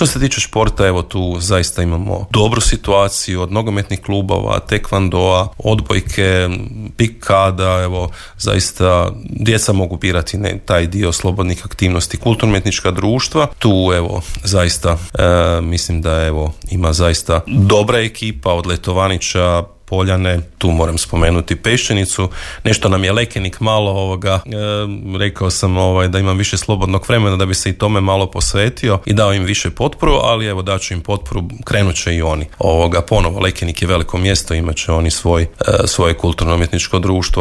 Što se tiče športa, evo tu zaista imamo dobru situaciju od nogometnih klubova, tekvandoa, odbojke, pikada, evo zaista djeca mogu birati taj dio slobodnih aktivnosti, kulturno-umjetnička društva. Tu evo zaista mislim da evo ima zaista dobra ekipa od Letovanića, Poljane, tu moram spomenuti Peščenicu, nešto nam je Lekenik malo rekao sam da imam više slobodnog vremena da bi se i tome malo posvetio i dao im više potporu, ali evo daću im potporu, krenut će i oni. Ponovo Lekenik je veliko mjesto, imat će oni svoje kulturno-umjetničko društvo.